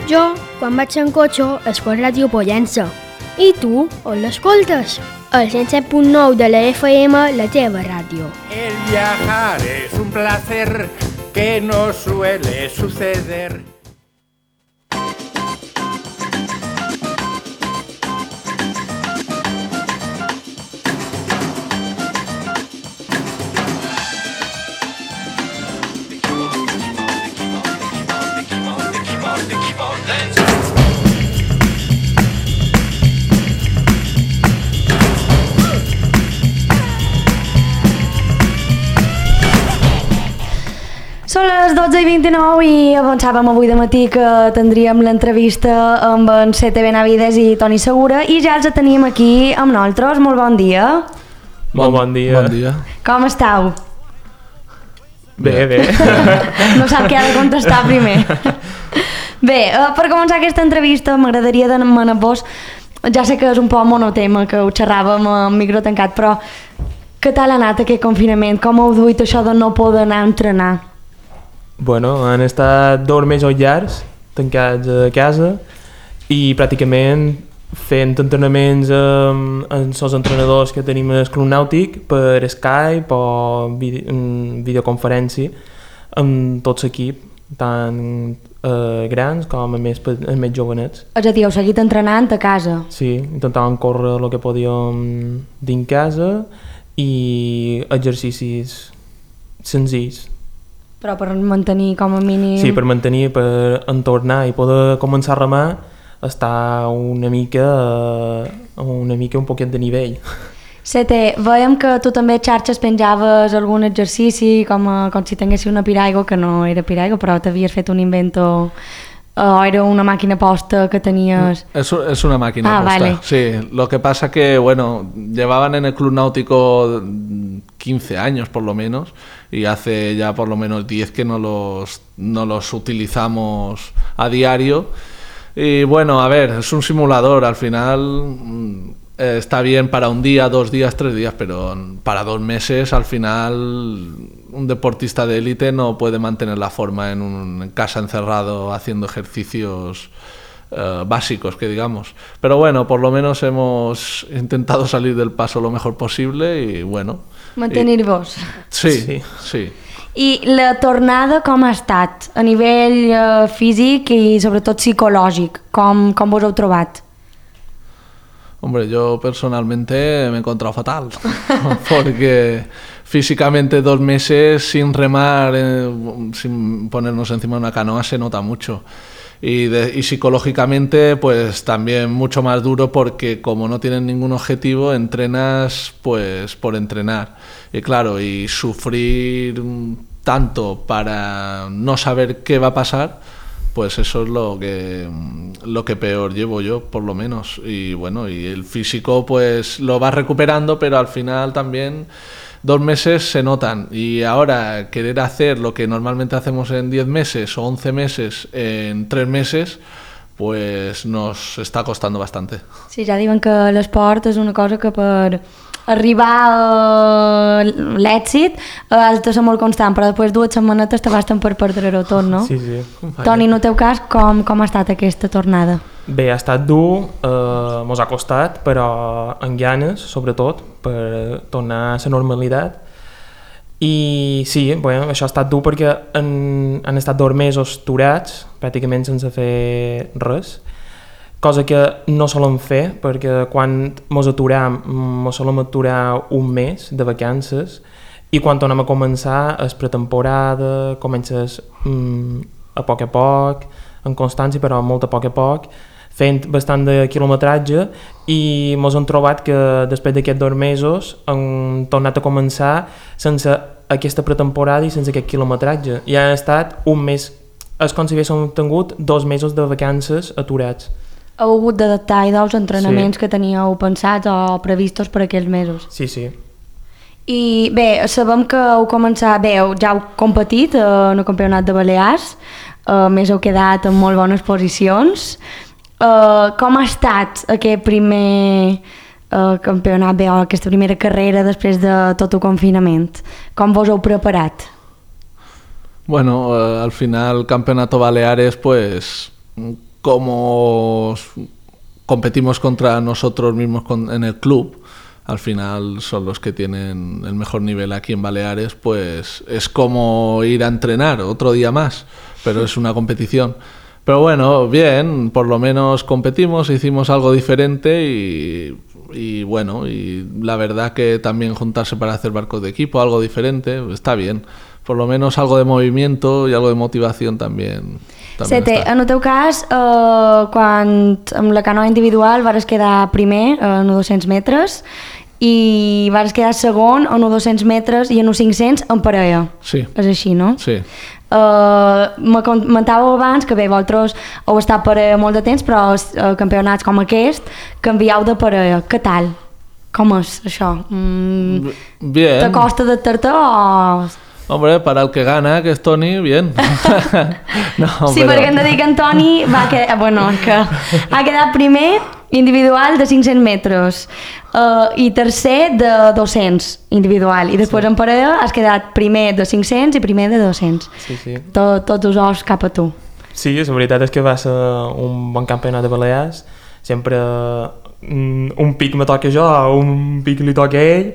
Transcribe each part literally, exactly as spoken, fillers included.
Jo, quan vaig en cotxe, escolto Ràdio Pollença. I tu, on l'escoltes? El cent set punt nou de la F M, la teva ràdio. El viajar es un placer que no suele suceder. Són les dotze i vint-i-nou i avançàvem avui de matí que tindríem l'entrevista amb en C T Benavides i Toni Segura i ja els tenim aquí amb nosaltres. Molt bon dia. Molt bon dia. Bon dia. Com estàu? Bé, bé. No sap què ha de contestar primer. Bé, per començar aquesta entrevista m'agradaria demanar-vos, ja sé que és un poc monotema, que ho xerràvem amb micro tancat, però què tal ha anat aquest confinament? Com heu duit això de no poder anar a entrenar? Bueno, han estat dos mesos llargs, tancats a casa i pràcticament fent entrenaments amb, amb els entrenadors que tenim al Club Nàutic per Skype o vide, videoconferència amb tot l'equip, tant eh, grans com a més, a més jovenets. És a dir, heu seguit entrenant a casa? Sí, intentàvem córrer el que podíem dins casa i exercicis senzills. Però per mantenir com a mínim... Sí, per mantenir, per entornar i poder començar a remar, està una mica, una mica un poquet de nivell. Sete, veiem que tu també a xarxes penjaves algun exercici, com, a, com si tinguessis una piraigo, que no era piraigo, però t'havies fet un invento, o era una màquina posta que tenies... Es, es una máquina ah, posta, vale. sí. Lo que pasa que, bueno, llevaban en el Club Náutico quince años por lo menos, y hace ya por lo menos diez que no los, no los utilizamos a diario. Y bueno, a ver, es un simulador, al final eh, está bien para un día, dos días, tres días, pero para dos meses al final un deportista de élite no puede mantener la forma en, un, en casa encerrado haciendo ejercicios eh, básicos, que digamos. Pero bueno, por lo menos hemos intentado salir del paso lo mejor posible y bueno... Mantenir-vos. Sí, sí, sí. I la tornada com ha estat? A nivell eh, físic i sobretot psicològic, com, com vos heu trobat? Hombre, yo personalmente me he encontrado fatal, porque físicamente dos meses sin remar, eh, sin ponernos encima de una canoa se nota mucho. Y, de, y psicológicamente pues también mucho más duro, porque como no tienes ningún objetivo entrenas pues por entrenar, y claro, y sufrir tanto para no saber qué va a pasar, pues eso es lo que lo que peor llevo yo, por lo menos. Y bueno, y el físico pues lo vas recuperando, pero al final también dos meses se notan, y ahora querer hacer lo que normalmente hacemos en diez meses o once meses en tres meses, pues nos está costando bastante. Sí, ja diuen que l'esport és una cosa que per arribar a l'èxit has de ser molt constant, però després dues setmanetes te basten per perdre-ho tot, no? Sí, sí. Toni, en el teu cas, com, com ha estat aquesta tornada? Bé, ha estat dur, eh, mos ha costat, però amb ganes, sobretot, per tornar a la normalitat. I sí, bueno, això ha estat dur perquè han, han estat dos mesos aturats, pràcticament sense fer res, cosa que no solem fer, perquè quan mos aturam, mos solem aturar un mes de vacances, i quan tornem a començar és pretemporada, comences mm, a poc a poc, en constància, però molt a poc a poc, fent bastant de quilometratge, i mos hem trobat que després d'aquests dos mesos hem tornat a començar sense aquesta pretemporada i sense aquest quilometratge. I han estat un mes, és com si haguéssim tingut dos mesos de vacances aturats. Heu hagut d'adaptar i dels entrenaments sí. que teníeu pensats o previstos per aquells mesos. Sí, sí. I bé, sabem que heu començat, bé, ja heu competit en el Campionat de Balears, a més heu quedat en molt bones posicions. Uh, com ha estat aquest primer uh, campionat, bé, o aquesta primera carrera després de tot el confinament? Com vos heu preparat? Bueno, uh, al final el Campeonato Baleares pues como competimos contra nosotros mismos en el club, al final son los que tienen el mejor nivel aquí en Baleares, pues es como ir a entrenar otro día más, pero es una competición. Pero bueno, bien, por lo menos competimos, hicimos algo diferente y, y bueno, y la verdad que también juntarse para hacer barcos de equipo, algo diferente, está bien. Por lo menos algo de movimiento y algo de motivación también. també Sete, en el teu cas, eh, quan amb la canoa individual vares quedar primer en els dos-cents metres i vares quedar segon en els dos-cents metres i en els cinc-cents en parella. Sí. És així, no? Sí. Uh, me comentàveu abans que bé, vosaltres heu estat parella molt de temps, però els uh, campionats com aquest canvieu de parella. Què tal? Com és això? Mm, bien. ¿Te costa adaptar-te o...? Hombre, para el que gana, que es Toni, bien. no, sí, però... perquè hem de dir que en Toni va quedar, bueno, que ha quedat primer individual de cinc-cents metres uh, i tercer de dos-cents individual, i després sí. En parella has quedat primer de cinc-cents i primer de dos-cents. Sí, sí. Tot, tots els ous cap a tu. Sí, la veritat és que va ser un bon campionat de Balears. Sempre mm, un pic me toca jo, un pic li toca a ell.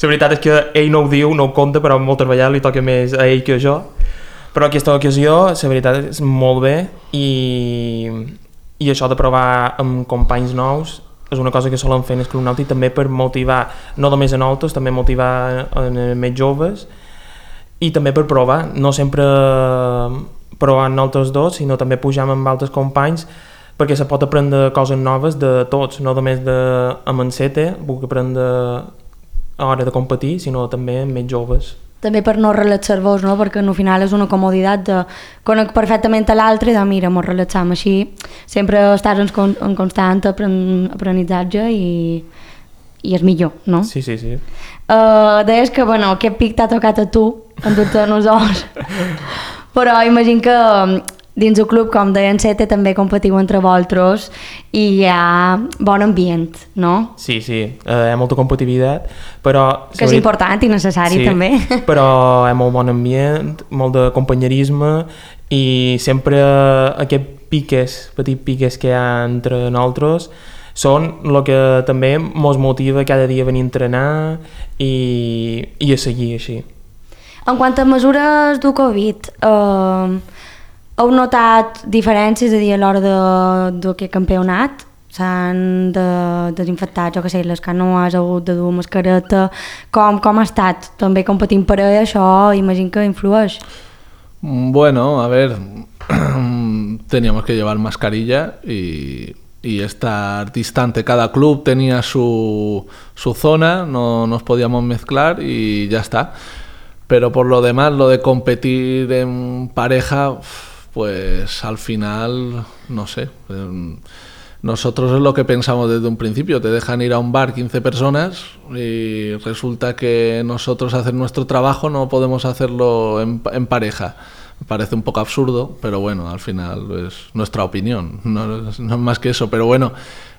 La veritat és que ell no ho diu, no ho compta, però moltes vegades li toca més a ell que a jo. Però aquesta ocasió, la veritat és molt bé, i, i això de provar amb companys nous és una cosa que solen fer en el Club Nàutic també per motivar, no només a nosaltres, també motivar a més joves, i també per provar, no sempre provar nosaltres dos, sinó també pujar amb altres companys, perquè se pot aprendre coses noves de tots, no només de amb en Sete, puc aprendre a l'hora de competir, sinó també amb més joves. També per no relaxar-vos, no? Perquè al final és una comoditat de conec perfectament a l'altre i de mira, mos relaxam així. Sempre estàs en, con en constant apren aprenentatge i, i és millor, no? Sí, sí, sí. Uh, deies que, bueno, aquest pic t'ha tocat a tu, endur-te en els ous. Però imagino que dins el club, com deien Sete, també competiu entre vosaltres i hi ha bon ambient, no? Sí, sí, eh, hi ha molta competitivitat, però... Que és important i necessari, sí, també. Però hi ha molt bon ambient, molt de companyerisme i sempre aquest piques, petit piques que hi ha entre nosaltres són el que també ens motiva cada dia a venir a entrenar i, i a seguir així. En quant a mesures del Covid, eh, heu notat diferències, és a dir, a l'hora d'aquest campionat? S'han de desinfectar, jo que sé, les canoes, heu hagut de dur mascareta. Com, com ha estat? També competint per ell, això imagino que influeix. Bueno, a ver, teníamos que llevar mascarilla y, y estar distante. Cada club tenía su, su zona, no nos podíamos mezclar y ya está. Pero por lo demás, lo de competir en pareja, pues al final, no sé, nosotros es lo que pensamos desde un principio, te dejan ir a un bar quince personas y resulta que nosotros hacer nuestro trabajo no podemos hacerlo en, en pareja. Me parece un poco absurdo, pero bueno, al final es nuestra opinión, no es, no es más que eso, pero bueno,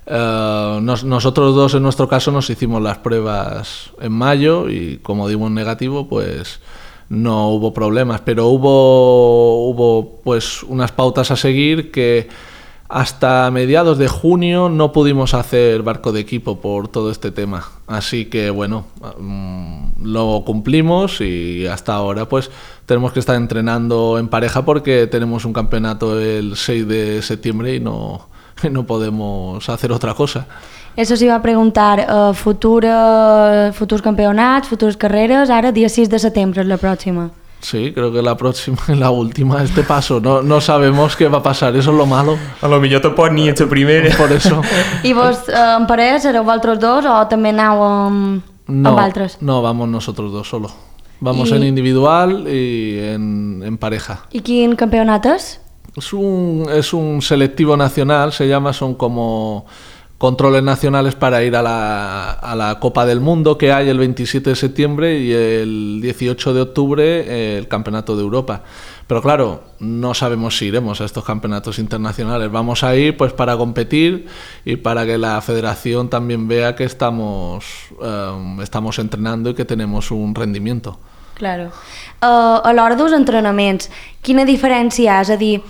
uh, nos, nosotros dos en nuestro caso nos hicimos las pruebas en mayo y como dimos negativo, pues no hubo problemas, pero hubo, hubo pues unas pautas a seguir que hasta mediados de junio no pudimos hacer barco de equipo por todo este tema. Así que bueno, lo cumplimos y hasta ahora pues tenemos que estar entrenando en pareja porque tenemos un campeonato el seis de septiembre y no, no podemos hacer otra cosa. Eso s'hi va preguntar, uh, futura, futurs campionats, futures carreres, ara dia sis de setembre és la pròxima. Sí, creo que la próxima y la última, este paso, no, no sabemos qué va a pasar, eso es lo malo. A lo millor tampoc ni ets la primera. Por eso. I vos uh, en parella sereu vosaltres dos o també aneu amb, no, amb altres? No, vamos nosotros dos solo. Vamos I... en individual y en, en pareja. I quin campionat és? Es un, es un selectivo nacional, se llama, son como controles nacionales para ir a la, a la Copa del Mundo que hay el veintisiete de septiembre y el dieciocho de octubre eh, el Campeonato de Europa. Pero claro, no sabemos si iremos a estos campeonatos internacionales. Vamos a ir pues para competir y para que la federación también vea que estamos, eh, estamos entrenando y que tenemos un rendimiento. Claro. Uh, a l'hora dels entrenaments, quina diferència és? A dir,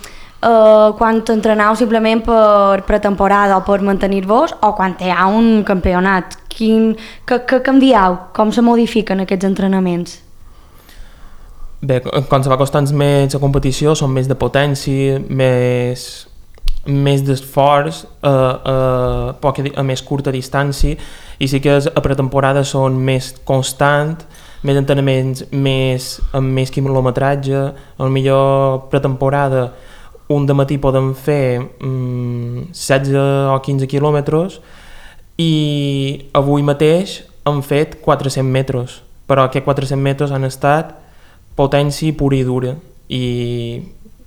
eh, quan entreneu simplement per pretemporada o per mantenir-vos o quan hi ha un campionat? Quin, que, que canvieu? Com se modifiquen aquests entrenaments? Bé, quan se va costant més la competició són més de potència, més, més d'esforç a, a, poca, a més curta distància, i sí que a pretemporada són més constant, més entrenaments, més, amb més quilometratge. A la millor pretemporada un de matí podem fer mm, setze o quinze quilòmetres i avui mateix hem fet quatre-cents metres, però aquests quatre-cents metres han estat potència pura i dura, i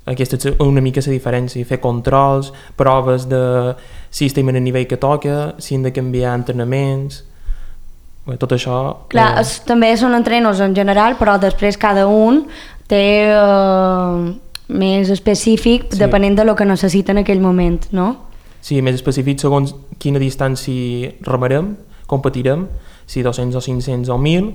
aquesta és una mica la diferència, fer controls, proves de si estem en el nivell que toca, si hem de canviar entrenaments. Bé, tot això... Clar, eh... es, també són entrenos en general, però després cada un té eh, més específic, sí, depenent de lo que necessita en aquell moment, no? Sí, més específic segons quina distància remarem, competirem, si dos-cents o cinc-cents o mil,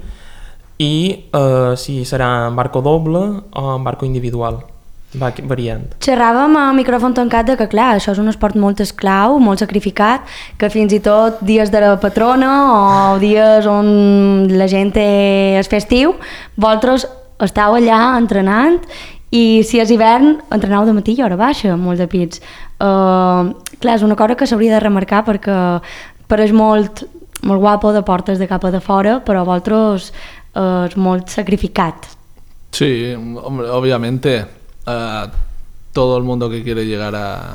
i eh, si serà en barco doble o en barco individual. Va variant. Xerràvem a micròfon tancat de que, clar, això és un esport molt esclau, molt sacrificat, que fins i tot dies de la patrona o dies on la gent és festiu, vosaltres estàu allà entrenant, i si és hivern entreneu de matí i hora baixa, molt de pits. Uh, clar, és una cosa que s'hauria de remarcar perquè pareix molt, molt guapo de portes de cap a de fora, però vosaltres uh, és molt sacrificat. Sí, hombre, obviamente. Uh, todo el mundo que quiere llegar a,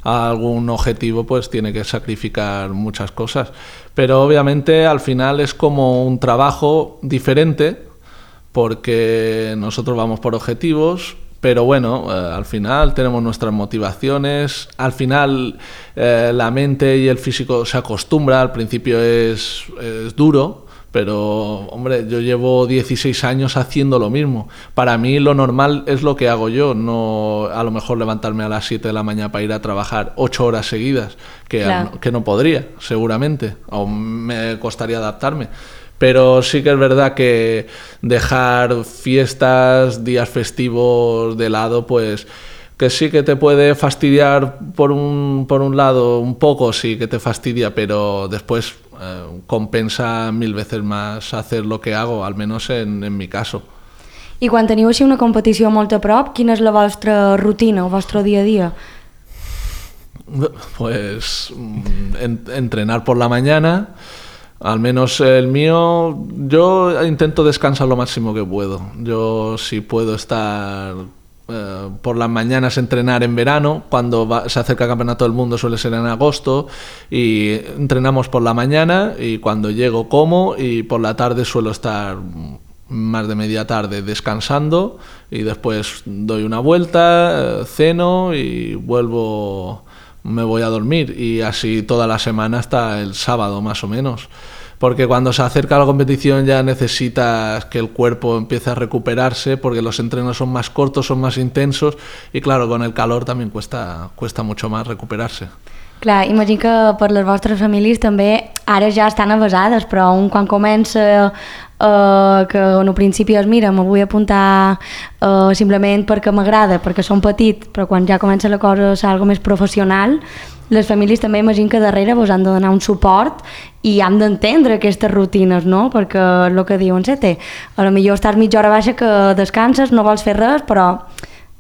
a algún objetivo pues tiene que sacrificar muchas cosas, pero obviamente al final es como un trabajo diferente porque nosotros vamos por objetivos, pero bueno, uh, al final tenemos nuestras motivaciones, al final uh, la mente y el físico se acostumbra, al principio es, es duro, pero hombre, yo llevo dieciséis años haciendo lo mismo. Para mí lo normal es lo que hago yo, no a lo mejor levantarme a las siete de la mañana para ir a trabajar ocho horas seguidas, que, claro, que no podría, seguramente, o me costaría adaptarme. Pero sí que es verdad que dejar fiestas, días festivos de lado, pues que sí que te puede fastidiar por un, por un lado, un poco sí que te fastidia, pero después eh, compensa mil veces más hacer lo que hago, al menos en, en mi caso. I quan teniu així una competició molt a prop, quina és la vostra rutina, el vostre dia a dia? Pues en, entrenar por la mañana, al menos el mío, yo intento descansar lo máximo que puedo. Yo si puedo estar eh, por las mañanas entrenar en verano, cuando va, se acerca el campeonato del mundo suele ser en agosto, y entrenamos por la mañana y cuando llego como, y por la tarde suelo estar más de media tarde descansando y después doy una vuelta, eh, ceno y vuelvo, me voy a dormir, y así toda la semana hasta el sábado más o menos. Porque cuando se acerca la competición ya necesitas que el cuerpo empiece a recuperarse, porque los entrenos son más cortos, son más intensos, y claro, con el calor también cuesta, cuesta mucho más recuperarse. Clar, imagino que per les vostres famílies també ara ja estan avasades, però un quan comença eh, que en un principi és mira, me vull apuntar eh, simplement perquè m'agrada, perquè som petit, però quan ja comença la cosa a ser algo més professional, les famílies també imagino que darrere vos han de donar un suport i han d'entendre aquestes rutines, no? Perquè el que diuen Sete, a lo millor estàs mitja hora baixa que descanses, no vols fer res, però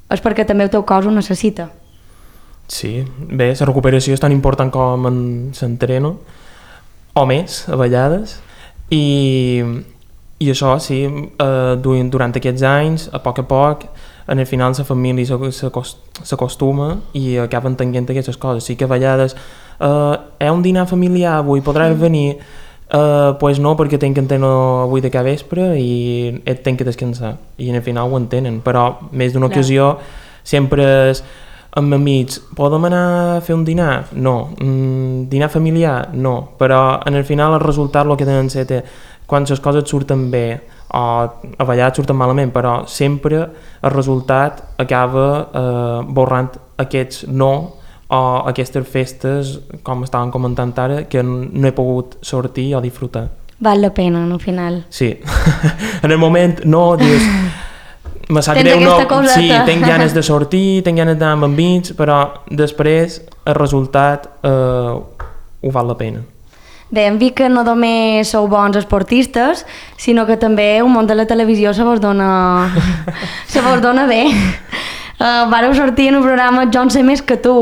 és perquè també el teu cos ho necessita. Sí, bé, la recuperació és tan important com en l'entreno, o més, a vegades, i, i això, sí, eh, durant aquests anys, a poc a poc, en el final la família s'acostuma i acaba entenent aquestes coses. Sí que a vegades, eh, hi ha un dinar familiar avui, podràs venir? Uh, pues no, perquè tenc que entrenar avui de cada vespre i tenc que descansar, i en el final ho entenen, però més d'una ocasió sempre és amb amics, podem anar a fer un dinar? No. Mm, dinar familiar? No. Però en el final el resultat el que tenen ser quan les coses surten bé o a vegades surten malament, però sempre el resultat acaba eh, borrant aquests no o aquestes festes, com estàvem comentant ara, que no he pogut sortir o disfrutar. Val la pena, no, al final. Sí. En el moment no, dius, me sap Tens greu, no, aquesta coseta. sí, tinc ganes de sortir, tinc ganes d'anar amb amics, però després el resultat eh, ho val la pena. Bé, hem vist que no només sou bons esportistes, sinó que també un món de la televisió se vos dona, se vos dona bé. Uh, vareu sortir en un programa Jo en sé més que tu.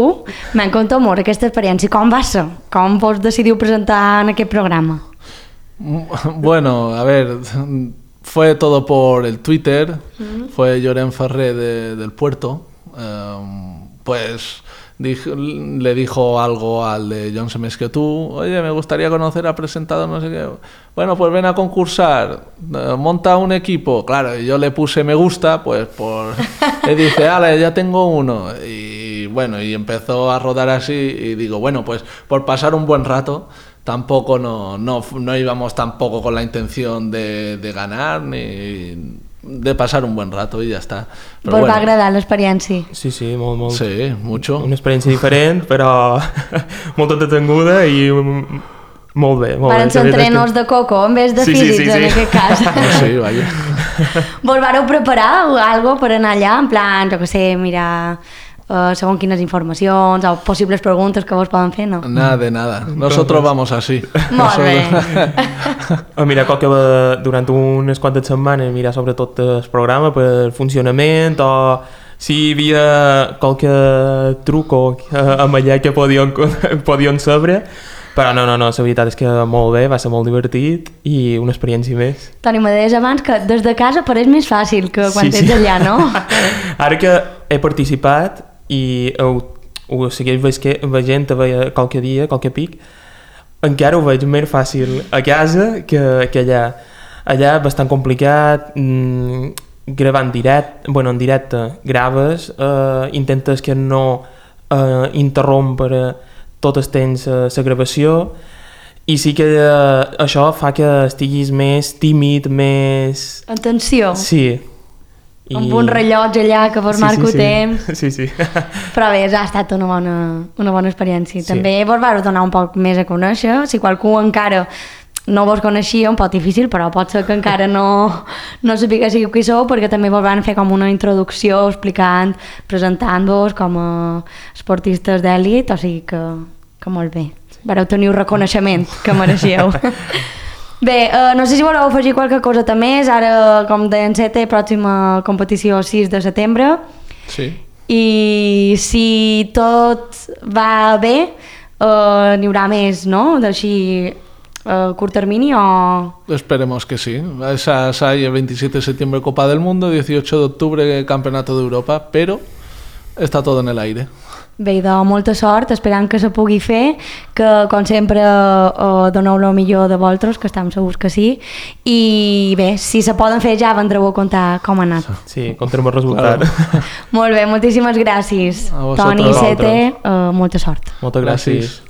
M'encanta molt aquesta experiència. Com va ser? Com vos decidiu presentar en aquest programa? Bueno, a ver, fue todo por el Twitter, uh-huh. Fue Lloren Ferrer de, del Puerto, um, pues dijo, le dijo algo al de John sé més que tú, oye, me gustaría conocer al presentador, no sé qué, bueno, pues ven a concursar, monta un equipo, claro, y yo le puse me gusta, pues por, le dice, ale, ya tengo uno, y bueno, y empezó a rodar así, y digo, bueno, pues por pasar un buen rato, tampoco no, no, no íbamos tampoco con la intención de, de ganar, ni de pasar un buen rato y ya está. Però Vos bueno. va agradar l'experiència? Sí, sí, molt, molt. Sí, mucho. Una experiència diferent, però molt entretinguda i molt bé. Molt Varen bé. ser entrenos de coco en vez de Sí, sí, físics, sí, sí. en aquest cas. Sí, vaya. Vos vareu preparar algo per anar allà? En plan, jo que sé, mirar uh, segons quines informacions o possibles preguntes que vos poden fer, no? Nada de nada. Nosotros vamos así. Molt bé. A mirar qualque, durant unes quantes setmanes, mirar sobretot el programa per funcionament o si hi havia qualque truco amb allà que podien, podien saber. Però no, no, no, la veritat és que molt bé, va ser molt divertit i una experiència més. Toni, me deies abans que des de casa pareix més fàcil que quan Sí, ets sí. allà, no? Ara que he participat i ho, ho segueix veient qualque dia, qualque pic, encara ho veig més fàcil a casa que, que allà. Allà bastant complicat, mmm, gravar en directe, bueno, en directe graves, eh, intentes que no eh, interrompre tot el temps eh, la gravació i sí que eh, això fa que estiguis més tímid, més... Atenció. Sí. I... Amb un rellotge allà que vos sí, marco sí, sí. temps. Sí, sí. Però bé, ha estat una bona, una bona experiència. Sí. També vos vau donar un poc més a conèixer. Si qualcú encara no vos coneixia, un poc difícil, però pot ser que encara no, no sapiguéssiu qui sou, perquè també vos van fer com una introducció explicant, presentant-vos com a esportistes d'èlit, o sigui que, que molt bé. Vareu tenir un reconeixement que mereixíeu. Bé, eh, no sé si voleu afegir qualque cosa més. Ara, com deien, té pròxima competició sis de setembre. Sí. I si tot va bé, eh, n'hi haurà més, no? D'així eh, curt termini o... Esperemos que sí. Esas hay el veintisiete de septiembre Copa del Mundo, dieciocho de octubre Campeonato de Europa, pero está todo en el aire. Bé, de molta sort, esperant que se pugui fer, que com sempre eh, doneu el millor de vosaltres, que estem segurs que sí, i bé, si se poden fer ja vendreu a contar com ha anat. Sí, contarem el resultat. Claro. Molt bé, moltíssimes gràcies. A vosaltres. Toni, Sete, eh, molta sort. Moltes gràcies. Gràcies.